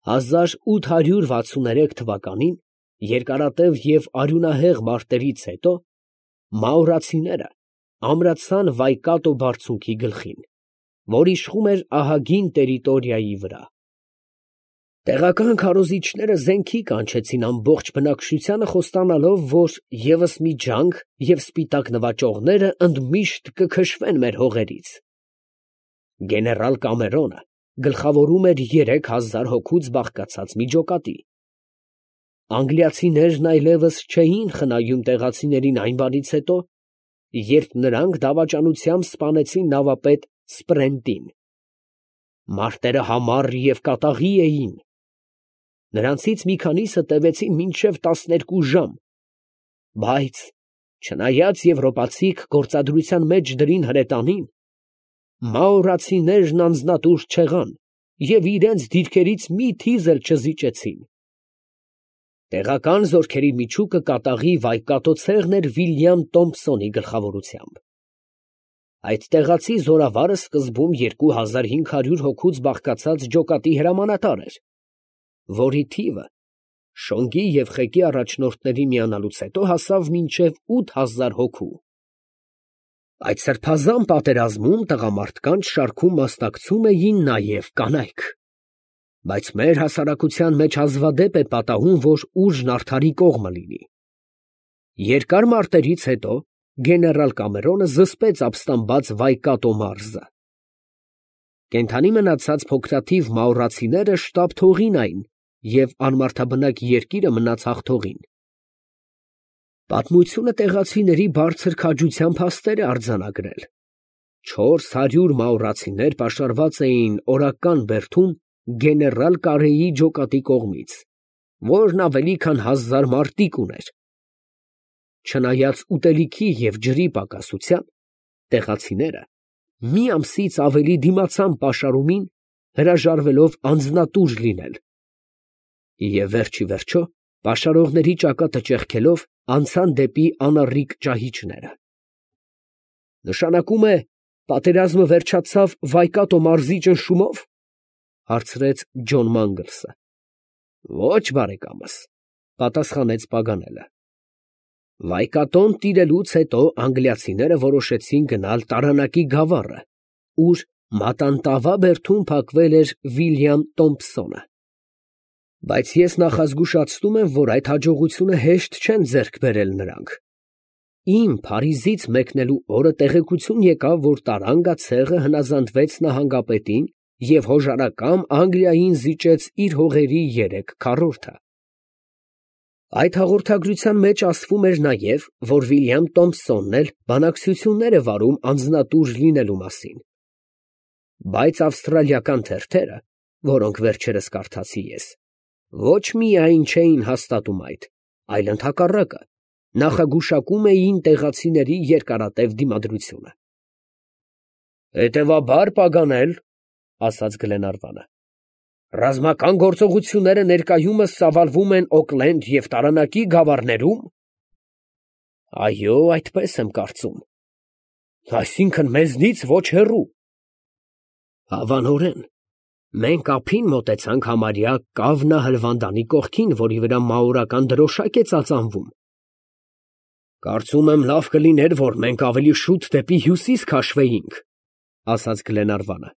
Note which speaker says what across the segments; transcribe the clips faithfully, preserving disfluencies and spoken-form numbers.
Speaker 1: հազար ութ հարյուր վաթսուններեք թվականին երկարատև և արյունահեղ մարտերից հետո մաուրացիները ամրացան Վայկատո բարձունքի գլխին, որ իշխում էր ահագին տերիտորիայի վրա։ Տեղական քարոզիչները զենքի կանչեցին ամբողջ բնակչությանը, խոստանալով, որ ևս մի ջանք և սպիտակ նվաճողները ընդմիշտ կքշվեն մեր հողերից։ Գեներալ Կամերոնը գլխավորում էր երեք հազար հոգուց բաղկացած մի ջոկատի։ Անգլիացիներն այլևս չէին խնայում տեղացիներին այն բանից հետո, երբ նրանք դավաճանությամբ սպանեցին նավապետ Սպրենտին։ Մարտերը համառ և կատաղի էին։ Նրանցից մի քանիսը տևեցին մինչև տասներկու ժամ, բայց չնայած եվրոպացիք գործադրության մեջ դրին հրետանին, մաուրացիներն անձնատուր չեղան և իրենց դիրքերից մի թիզ էլ չզիջեցին։ Տեղական զորքերի միջուկը կատաղի Վայկատո ցեղն էր Վիլյամ Տոմփսոնի գլխավորությամբ։ Այդ տեղացի զորավարը սկզբում երկու հազար հինգ հարյուր հոգուց բաղկացած ջոկատի հրամանատար էր, որի թիվը շոնգի և խեկի առաջնորդների միանալուց հետո հասավ մինչև ութ հազար հոգու։ Այդ սրբազան պատերազմում տղամարդկանց շարքում մասնակցում էին նաև կանայք, բայց մեր հասարակության մեջ հազվադեպ է պատահում, որ ուժն արդարի կողմը լինի։ Երկար մարտերից հետո գեներալ Կամերոնը զսպեց ապստամբած Վայկատո մարզը։ Կենդանի մնացած փոքրաթիվ մաուրացիները շտապ թողին այն, և անմարդաբնակ երկիրը մնաց հաղթողին։ Պատմությունը տեղացիների բարձր քաջության փաստեր է արձանագրել։ Չորս հարյուր մաուրացիներ պաշարված էին օրական բերդում գեներալ Կարեի ջոկատի կողմից, որն ավելի քան հազար մարտիկ ուներ։ Չնայած ուտելիքի և ջրի պակասության, տեղացիները մի ամսից ավելի դիմացան պաշարումին, հրաժարվելով անձնատուր լինել, և վերջիվերջո, պաշարողների ճակատը ճեղքելով, անցան դեպի անառիկ ճահիճները։ «Նշանակում է, պատերազմը վերջացավ Վայկատո մարզի ճնշումո՞վ, ֊ հարցրեց Ջոն Մանգլսը։ ֊ Ոչ, բարեկամս, ֊ պատասխանեց Պագանելը։ Վայկատոն տիրելուց հետո անգլիացիները որոշեցին գնալ Տարանակի գավառը, ուր Մատանտավա բերդում փակվել էր Վիլյամ Տոմփսոնը։ Բայց ես նախազգուշացնում եմ, որ այդ հաջողությունը հեշտ չեն ձեռք բերել նրանք։ Իմ Փարիզից մեկնելու օրը տեղեկություն եկավ, որ Տարանգա ցեղը հնազանդվեց նահանգապետին և հոժարակամ Անգլիային զիջեց իր հողերի երեք քառորդը։ Այդ հաղորդագրության մեջ ասվում էր նաև, որ Վիլյամ Տոմփսոնն էլ բանակցություններ է վարում անձնատուր լինելու մասին։ Բայց ավստրալիական թերթերը, որոնք վերջերս կարդացի ես, ոչ միայն չէին հաստատում այդ, այլ ընդհակառակը, նախագուշակում էին տեղացիների երկարատև դիմադրությունը։ Հետևաբար, Պագանել, ֊ ասաց Գլենարվանը, ֊ ռազմական գործողությունները ներկայումս ծավալվում են Օքլենդ և Տարանակի գավառներու՞մ։ Այո, այդպես եմ կարծում։ Այսինքն մեզնից ոչ հեռու։ Հավանորեն, մենք ափին մոտեցանք համարյա Կավնա հլվանդանի կողքին, որի վրա մաուրական դրոշակ է ծածանվում։ Կարծում եմ, լավ կլիներ, որ մենք ավելի շուտ դեպի հյուսիս քաշվեինք, ֊ ասաց Գլենարվանը։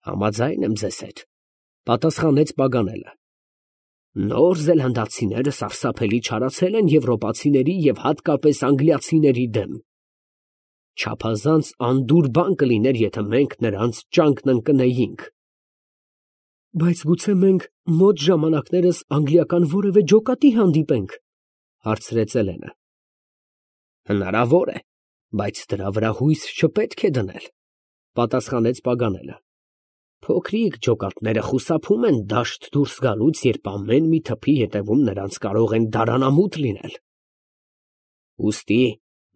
Speaker 1: Համաձայն եմ ձեզ հետ, ֊ պատասխանեց Պագանելը։ Նոր զելանդացիները սարսափելի չարացել են եվրոպացիների և հատկապես անգլիացիների դեմ։ Չափազանց անդուր բան կլիներ, եթե մենք նրանց ճանկն ընկնեինք։ Բայց գուցե մենք մոտ ժամանակներս անգլիական որևէ ջոկատի հանդիպենք, ֊ հարցրեց Էլենը։ Հնարավոր է, բայց դրա վրա հույս չպետք է դնել, ֊ պատասխանեց Պագանելը։ Փոքրիկ ջոկատները խուսափում են դաշտ դուրս գալուց, երբ ամեն մի թփի ետևում նրանց կարող են դարանամութ լինել։ Ուստի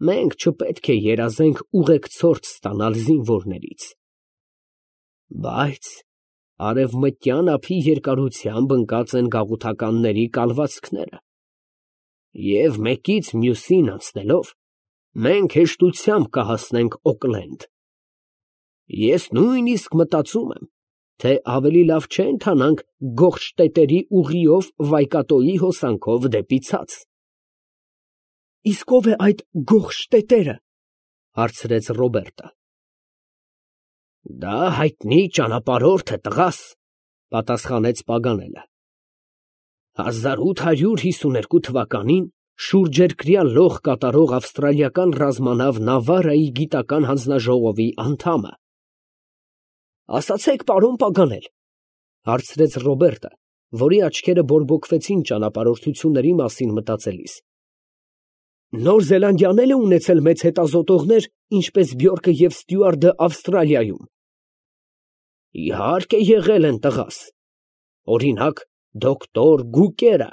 Speaker 1: մենք չպետք է երազենք ուղեկցորդ ստանալ զինվորներից։ Բայց արևմտյան ափի երկարությամբ ընկած են գաղութականների կալվածքները, և մեկից մյուսին անցնելով, մենք հեշտությամբ կհասնենք Օքլենդ։ Ես նույնիսկ մտածում եմ, թե ավելի լավ չէ ընթանանք Գողշտետերի ուղիով Վայկատոյի հոսանքով դեպի ցած։ Իսկ ո՞վ է այդ Գողշտետերը, հարցրեց Ռոբերտը։ Դա հայտնի ճանապարհորդ է, տղաս, պատասխանեց Պագանելը։ հազար ութ հարյուր հիսուներկու թվականին շուրջերկրյա լոխ կատարող ավստրալիական ռազմանավ Նավարայի գիտական հանձնաժողովի անդամը։ Ասացեք, պարոն Պագանել, հարցրեց Ռոբերտը, որի աչքերը բորբոքվեցին ճանապարհորդությունների մասին մտածելիս։ Նոր Զելանդիան էլ է ունեցել մեծ հետազոտողներ, ինչպես Բյորկը և Ստյուարտը Ավստրալիայում։ Իհարկե եղել են, տղաս։ Օրինակ, դոկտոր Գուկերը,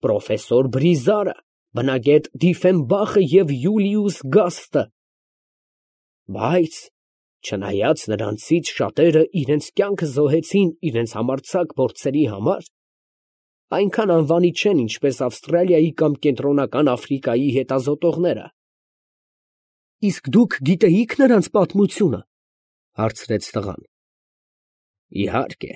Speaker 1: պրոֆեսոր Բրիզարը, բնագետ Դիֆենբախը և Յուլիուս Գաստը։ Բայց չնայած նրանցից շատերը իրենց կյանքը զոհեցին իրենց համարձակ փորձերի համար, այնքան անվանի չեն, ինչպես Ավստրալիայի կամ Կենտրոնական Աֆրիկայի հետազոտողները։ Իսկ դուք գիտեիք նրանց պատմությունը, հարցրեց տղան։ Իհարկե,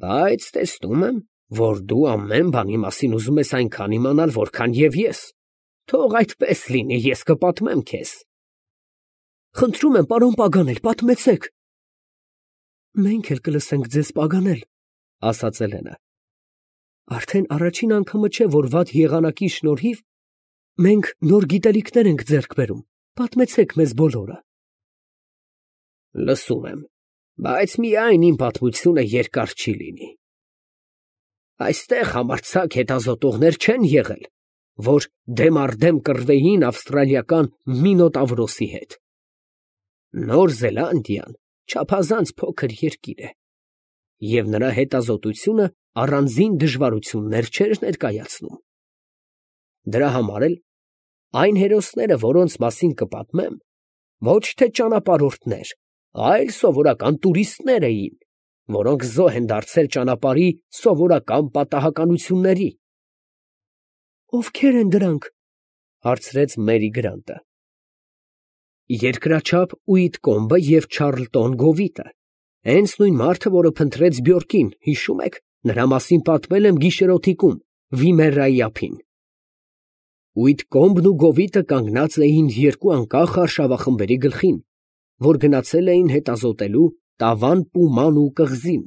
Speaker 1: բայց տեսնում եմ, որ դու ամեն բանի մասին ուզում ես այնքան իմանալ, որքան և ես։ Թող այդպես լինի, ես կպատմեմ քեզ։ Խնդրում եմ, պարոն Պագանել, պատմեցեք։ Մենք էլ կլսենք ձեզ, Պագանել, ասաց Էլենը։ Արդեն առաջին անգամը չէ, որ վատ եղանակի շնորհիվ մենք նոր գիտելիքներ ենք ձեռք բերում։ Պատմեցեք մեզ բոլորը։ Լսում եմ, բայց միայն իմ պատմությունը երկար չի լինի։ Այստեղ համարձակ հետազոտողներ չեն եղել, որ դեմ առ դեմ կռվեին ավստրալիական Մինոտավրոսի հետ։ Նոր Զելանդիան չափազանց փոքր երկիր է, և նրա հետազոտությունը առանձին դժվարություններ չէր ներկայացնում։ Դրա համար էլ այն հերոսները, որոնց մասին կպատմեմ, ոչ թե ճանապարհորդներ, այլ սովորական տուրիստներ էին, որոնք զոհ են դարձել ճանապարհի սովորական պատահականությունների։ Ովքեր են դրանք, հարցրեց Մերի Գրանտը։ Երկրաչափ Ուիտկոմբը և Չարլտոն Գովիտը, հենց նույն մարդը, որը փնտրեց Բյորկին, հիշում եք, նրա մասին պատմել եմ գիշերօթիկում, Վիմերայի ափին։ Ուիտկոմբն ու Գովիտը կանգնած էին երկու անկախ արշավախմբերի գլխին, որ գնացել էին հետազոտելու Տավան Պուման ու կղզին։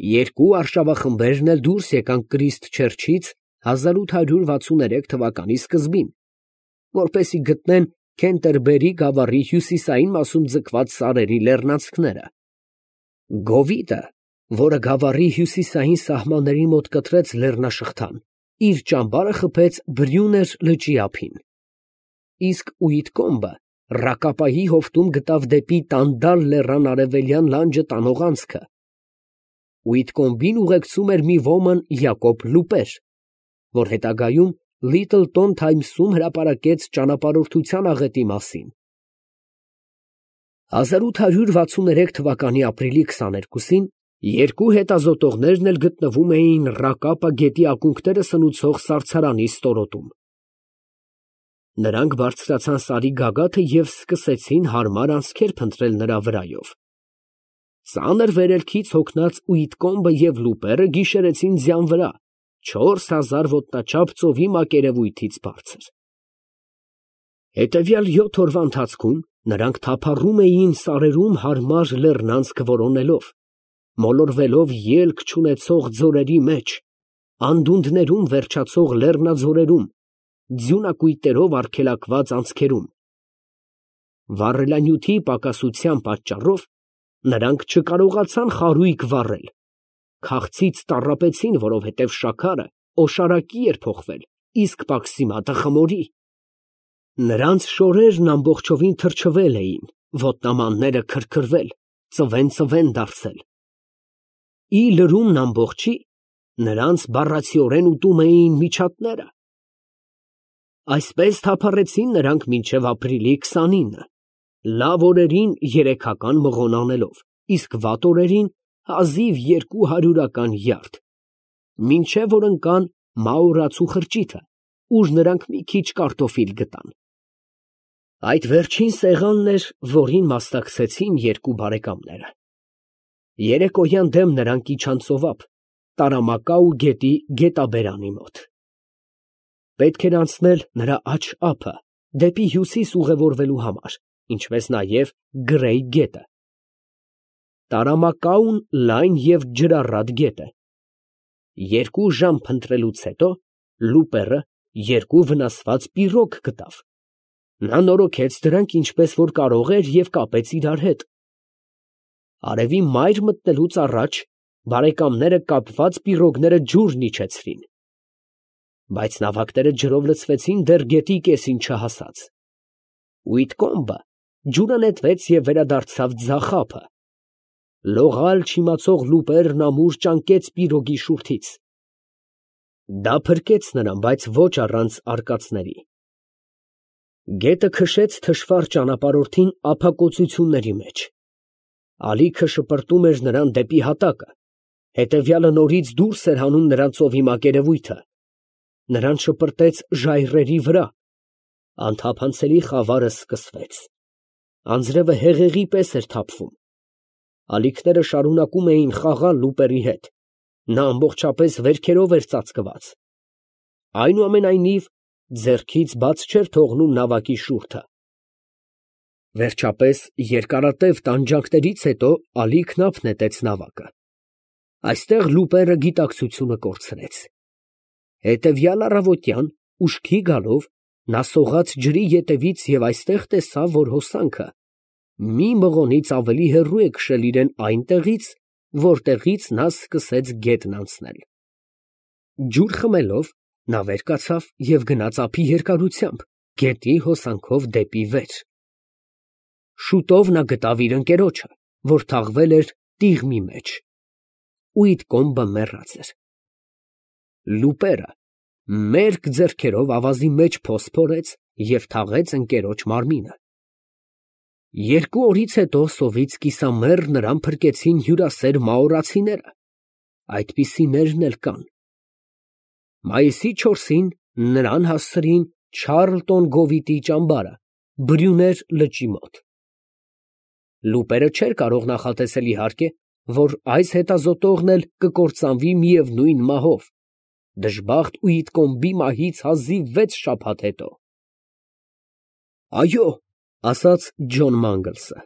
Speaker 1: Երկու արշավախմբերն էլ դուրս եկան Կրիստ Չերչից հազար ութ հարյուր վաթսուններեք թվականի սկզբին, որպեսզի գտնեն Քենտերբերի գավառի հյուսիսային մասում ձգված սարերի լեռնանցքները։ Գովիտը, որը գավառի հյուսիսային սահմանների մոտ կտրեց լեռնաշղթան, իր ճամբարը խփեց Բրյուներ լճի ափին։ Իսկ Ուիտկոմբը Ռակապայի հովտում գտավ դեպի Տանդալ լեռան արևելյան լանջը տանող անցքը։ Ուիտկոմբին ուղեկցում էր մի ոմն Յակոբ Լուպեր, որ հետագայում Լիթլտոն Թայմսում հրապարակեց ճանապարհորդության աղետի մասին։ հազար ութ հարյուր վաթսուններեք թվականի ապրիլի քսաներկուսին երկու հետազոտողներն էլ գտնվում էին Ռակապա գետի ակունքները սնուցող սառցարանի ստորոտում։ Նրանք բարձրացան սարի գագաթը և սկսեցին հարմար անցքեր փնտրել նրա վրայով։ Ծանր վերելքից հոգնած Ուիտկոմբը և Լուպերը գիշերեցին ձյան վրա, չորս հազար ոտնաչափ ծովի մակերևույթից բարձր։ Հետևյալ յոթ օրվա ընթացքում նրանք թափառում էին սարերում հարմար լեռնանցք որոնելով, մոլորվելով ելք չունեցող ձորերի մեջ, անդունդներում վերջացող լեռնաձորերում, ձյունակույտերով արգելակված անցքերում։ Վառելանյութի պակասության պատճառով նրանք չկարողացան խարույկ վառել, քաղցից տառապեցին, որովհետև շաքարը օշարակի էր փոխվել, իսկ պաքսիմատը խմորի։ Նրանց շորերն ամբողջովին թրջվել էին, ոտնամանները քրքրվել, ծվեն֊ծվեն դարձել։ Ի լրումն ամբողջի նրանց բառացիորեն ուտում էին միջատները։ Այսպես թափառեցին նրանք մինչև ապրիլի քսանինը, լավ օրերին երեքական մղոն անելով, իսկ վատ օրերին հազիվ երկու հարյուրական յարդ, մինչև որ ընկան Մաուրացու խրճիթը, ուր նրանք մի քիչ կարտոֆիլ գտան։ Այդ վերջին սեղանն էր, որին մասնակցեցին երկու բարեկամները։ Երեկոյան դեմ նրանք իջան ծովափ Տարամակաու գետի գետաբերանի մոտ։ Պետք էր անցնել նրա աջ ափը դեպի հյուսիս ուղևորվելու համար, ինչպես նաև Գրեյ գետը։ Տարամակաուն լայն և ջրառատ գետ է։ Երկու ժամ փնտրելուց հետո Լուպերը երկու վնասված պիրոգ գտավ։ Նա նորոգեց դրանք ինչպես որ կարող էր և կապեց իրար հետ։ Արևի մայր մտնելուց առաջ բարեկամները կապված պիրոգները ջուրն իջեցրին, բայց նավակները ջրով լցվեցին դեռ գետի կեսին չհասած։ Ուիտկոմբը ջուրը նետվեց և վերադարձավ ձախ ափը։ Լողալ չիմացող Լուպերն ամուր ճանկեց պիրոգի շուրթից։ Դա փրկեց նրան, բայց ոչ առանց արկածների։ Գետը քշեց թշվառ ճանապարհորդին ափակոծությունների մեջ։ Ալիքը շպրտում էր նրան դեպի հատակը, հետևյալը նորից դուրս էր հանում նրան ծովի մակերևույթը։ Նրան շպրտեց ժայռերի վրա։ Անթափանցելի խավարը սկսվեց։ Անձրևը հեղեղի պես էր թափվում։ Ալիքները շարունակում էին խաղալ Լուպերի հետ։ Նա ամբողջապես վերքերով էր ծածկված։ Այնուամենայնիվ, ձեռքից բաց չէր թողնում նավակի շուրթը։ Վերջապես, երկարատև տանջանքներից հետո ալիքն ափ նետեց նավակը։ Այստեղ Լուպերը գիտակցությունը կորցրեց։ Հետևյալ առավոտյան, ուշքի գալով, նա սողաց ջրի ետևից և այստեղ տեսավ, որ հոսանքը մի մղոնից ավելի հեռու է քշել իրան այնտեղից, որտեղից նա սկսեց գետն անցնել։ Ջուր խմելով, նա վեր կացավ և գնաց ափի երկարությամբ, գետի հոսանքով դեպի վեր։ Շուտով նա գտավ իր ընկերոջը, որ թաղվել էր տիղմի մեջ։ Ուիտկոմբը մեռած էր։ Լուպերը մերկ ձեռքերով ավազի մեջ փոս փորեց և թաղեց ընկերոջ մարմինը։ Երկու օրից հետո սովից կիսամեռ նրան փրկեցին հյուրասեր մաորացիները։ Այդպիսիներն էլ կան։ Մայիսի չորսին նրան հասցրին Չարլտոն գովիտի ճամբարը, Բրյուներ լճի մոտ։ Լուպերը չէր կարող նախատեսել, իհարկե, որ այս հետազոտողն էլ կկործանվի միևնույն մահով, դժբախտ Ուիտկոմբի մահից հազիվ վեց շաբաթ հետո։ Այո, ասաց Ջոն Մանգլսը,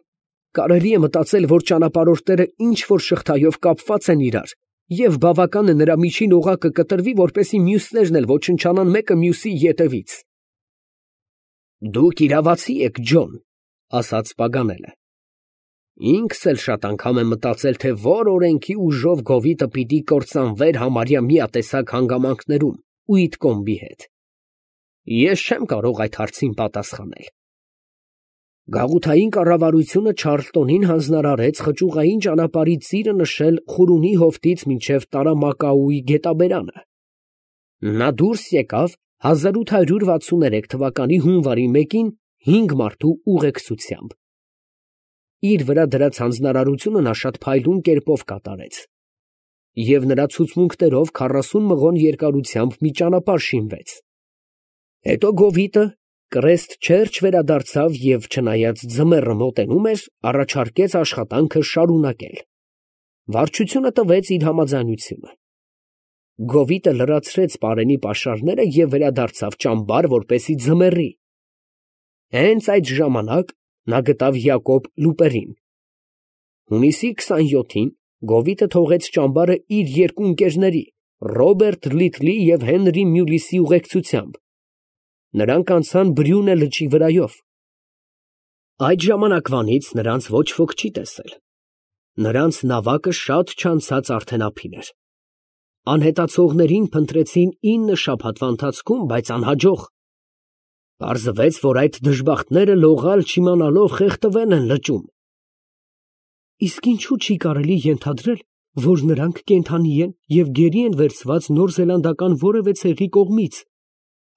Speaker 1: կարելի է մտածել, որ ճանապարհորդները ինչ որ շղթայով կապված են իրար, և բավական է նրա միջին օղակը կտրվի, որպեսզի մյուսներն էլ ոչնչանան մեկը մյուսի ետևից։ Դուք իրավացի եք, Ջոն, ասաց Պագանելը։ Ինքս էլ շատ անգամ եմ մտածել, թե որ օրենքի ուժով գովիտը պիտի կործանվեր համարյա միատեսակ հանգամանքներում Ուիտկոմբի հետ։ Ես չեմ կարող այդ հարցին պատասխանել։ Գաղութային կառավարությունը Չարլտոնին հանձնարարեց խճուղային ճանապարհի ծիրը նշել Խուրունի հովտից մինչև Տարամակաուի գետաբերանը։ Նա դուրս եկավ հազար ութ հարյուր վաթսուններեք թվականի հունվարի մեկին հինգ մարդու ուղեկցությամբ։ Իր վրա դրած հանձնարարությունը նա շատ փայլուն կերպով կատարեց, և նրա ցուցմունքներով քառասուն մղոն երկարությամբ մի ճանապարհ շինվեց։ Հետո գովիտը կրեստ չերջ վերադարձավ և, չնայած ձմեռը մոտենում էր, առաջարկեց աշխատանքը շարունակել։ Վարչությունը տվեց իր համաձայնությունը։ Գովիտը լրացրեց պարենի պաշարները և վերադարձավ ճամբար, որպեսզի ձմեռի։ Հենց այդ ժամանակ նա գտավ Յակոբ Լուպերին։ Հունիսի քսանյոթին Գովիտը թողեց ճամբարը իր երկու ընկերների՝ Ռոբերտ Լիթլի և Հենրի Մյուլիսի ուղեկցությամբ։ Նրանք անցան Բրյունե լճի վրայով։ Այդ ժամանակվանից նրանց ոչ ոք չի տեսել։ Նրանց նավակը շատ չանցած արդեն ափին էր։ Անհետացողներին փնտրեցին ինը շաբաթվա ընթացքում, բայց անհաջող։ Պարզվեց, որ այդ դժբախտները լողալ չիմանալով խեղդվել են լճում։ Իսկ ինչու չի կարելի ենթադրել, որ նրանք կենդանի են և գերի են վերցված նորզելանդական որևէ ցեղի կողմից,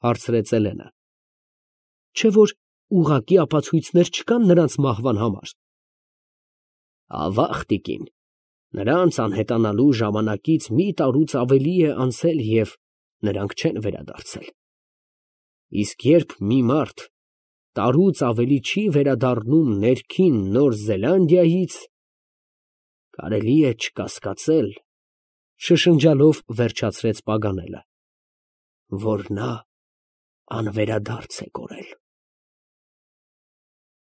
Speaker 1: հարցրեց Էլենը։ Չէ՞ որ ուղղակի ապացույցներ չկան նրանց մահվան համար։ Ավաղ, տիկին, նրանց անհետանալու ժամանակից մի տարուց ավելի է անցել և նրանք չեն վերադարձել։ Իսկ երբ մի մարդ տարուց ավելի չի վերադառնում ներքին Նոր Զելանդիայից, Կարելի է չկասկածել, շշնջալով վերջացրեց Պագանելը, որ նա անվերադարձ է կորել։